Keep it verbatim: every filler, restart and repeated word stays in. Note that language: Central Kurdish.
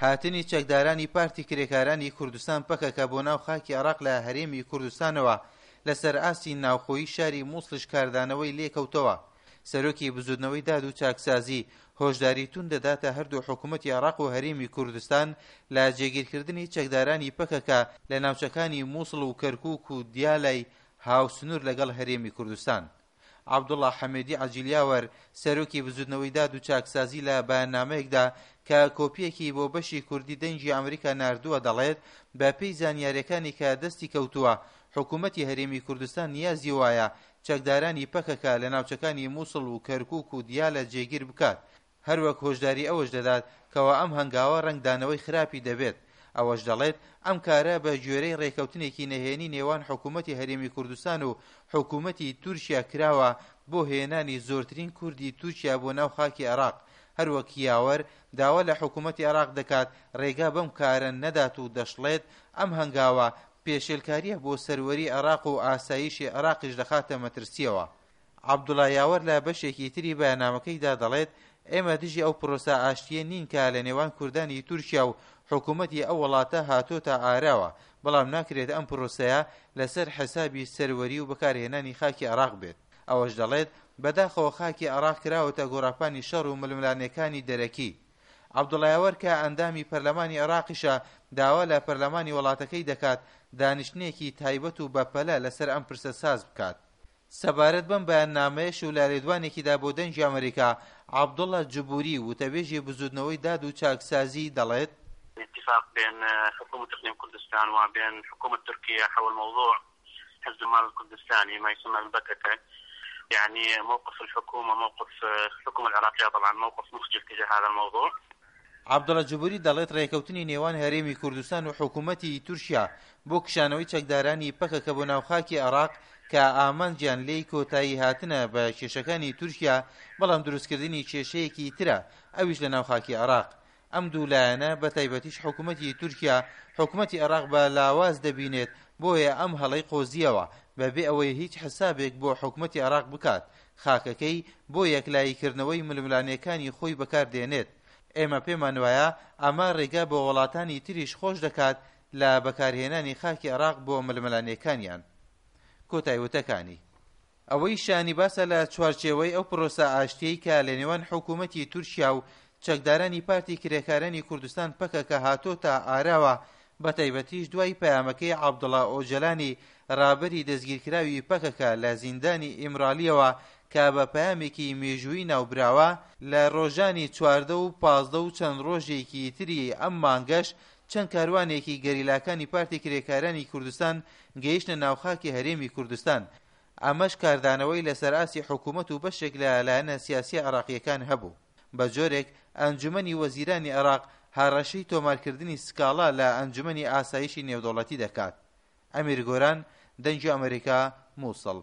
هاتنی چەکدارانی پارتی کرێکارانی کوردستان پەکەکە بۆ ناو خاکی عێراق لە هەرێمی کوردستانەوە لەسەر ئاستی ناوخۆیی شاری موسڵیش کاردانەوەی لێکەوتەوە. سەرۆکی بزوتنەوەی داد و چاکسازی هۆشداری توند دەداتە هەردوو حکومەتی عێراق و هەرێمی کوردستان لە جێگیرکردنی چەکدارانی پەکەکە لە ناوچەکانی موسڵ و کەرکوک و دیالای هاوسنوور لەگەڵ هەرێمی کوردستان. عەبدوڵا حەمێدی عەجیل یاوەر، سەرۆکی بزوتنەوەی داد و چاکسازی لە بەیاننامەیەکدا کە کۆپیەکی بۆ بەشی کوردی دەنگی ئەمریکا ناردووە دەڵێت بە پێی زانیاریەکانی کە دەستی کەوتووە حکومەتی هەرێمی کوردستان نیازی وایە چەکدارانی پەکەکە لە ناوچەکانی موسڵ و کەرکوک و دیالە جێگیر بکات، هەروەک هۆشداری ئەوەش دەدات کەوا ئەم هەنگاوە ڕەنگدانەوەی خراپی دەبێت. ئەوەش دەڵێت ئەم کارە بە گوێرەی ڕێکەوتنێکی نەهێنی نێوان حکومەتی هەرێمی کوردستان و حکومەتی تورکیا کراوە بۆ هێنانی زۆرترین کوردی تورکیا بۆ ناو خاکی عێراق. هەروەک یاوەر داوا لە حکومەتی عێراق دەکات ڕێگا بەم کارە نەدات و دەشڵێت ئەم هەنگاوە پێشێلکاریە بۆ سەروەری عێراق و ئاسایشی عێراقیش دەخاتە مەترسیەوە. عەبدوڵا یاوەر لە بەشێکی تری بەیاننامەکەیدا دەڵێت ئێمە دژی ئەو پرۆسە ئاشتیە نین کە لە نێوان کوردانی تورکیا و حکومەتی ئەو وڵاتە هاتۆتە ئاراوە، بەڵام ناکرێت ئەم پرۆسەیە لەسەر حسابی سەروەری و بەکارهێنانی خاکی عێراق بێت. ئەوەش دەڵێت بەداخەوە خاکی عێراق کراوەتە گۆڕاپانی شەڕ و ململانێکانی دەرەکی. عەبدوڵا یاوەر کە ئەندامی پەرلەمانی عێراقیشە داوا لە پەرلەمانی وڵاتەکەی دەکات دانیشتنێکی تایبەت و بەپەلە لەسەر ئەم پرسە ساز بکات. سەبارەت بەم بەیاننامەیەش و لە لێدوانێکیدا بۆ دەنگی ئەمریکا عەبدوڵا جبوری وتەبێژی بزوتنەوەی داد و چاکسازی دەڵێت اتفاق بين حكومة إقليم كردستان وبين حكومة تركيا حول موضوع حزب العمال الكردستاني ما يسمى بالبككة. يعني موقف الحكومة موقف الحكومة العراقية طبعا موقف مخجل تجاه هذا الموضوع. عەبدوڵا جبوری دەڵێت ڕێکەوتنی نێوان هەرێمی کوردستان و حکوومەتی تورکیا بۆ کشانەوەی چەکدارانی پەکەکە بۆ ناو خاکی عێراق کە ئامانجیان لێی کۆتایی هاتنە بە کێشەکانی تورکیا، بەڵام دروستکردنی کێشەیەکی ترە ئەویش لە ناو خاکی عێراق. ئەم دوو لایەنە بە تایبەتیش حکوومەتی تورکیا حکوومەتی عێراق بە لاواز دەبینێت، بۆیە ئەم هەڵەی قۆزیەوە بەبێ ئەوەی هیچ حسابێک بۆ حکوومەتی عێراق بکات خاکەکەی بۆ یەکلاییکردنەوەی ململانێکانی خۆی بەکاردێنێت. ئێمە پێمان وایە ئەمە ڕێگا بۆ وڵاتانی تریش خۆش دەکات لە بەکارهێنانی خاکی عێراق بۆ ململانێکانیان. کۆتای وتەکانی. ئەوەی شانی باسە لە چوارچێوەی ئەو پرۆسە ئاشتیەی کە لە نێوان حکوومەتی تورکیا و چەکدارانی پارتی کرێکارانی کوردستان پەکەکە هاتۆتە ئاراوە، بە تایبەتیش دوای پەیامەکەی عەبدوڵا ئۆجەلانی ڕابەری دەستگیرکراوی پەکەکە لە زیندانی ئیمرالیەوە کە بە پەیامێکی مێژوویی ناوبراوە، لە ڕۆژانی چواردە و پازدە و چەند ڕۆژێکی تری ئەم مانگەش چەند کاروانێکی گەریلاکانی پارتی کرێکارانی کوردستان گەیشتە ناوخاکی هەرێمی کوردستان. ئەمەش کاردانەوەی لەسەر ئاستی حکوومەت و بەشێک لە لایەنە سیاسی عێراقیەکان هەبوو. بە جۆرێک ئەنجومەنی وەزیرانی عێراق هەڕەشەی تۆمارکردنی سکاڵا لە ئەنجومەنی ئاسایشی نێودەوڵەتی دەکات. ئەمیر گۆران، دەنگی ئەمریکا، موسڵ.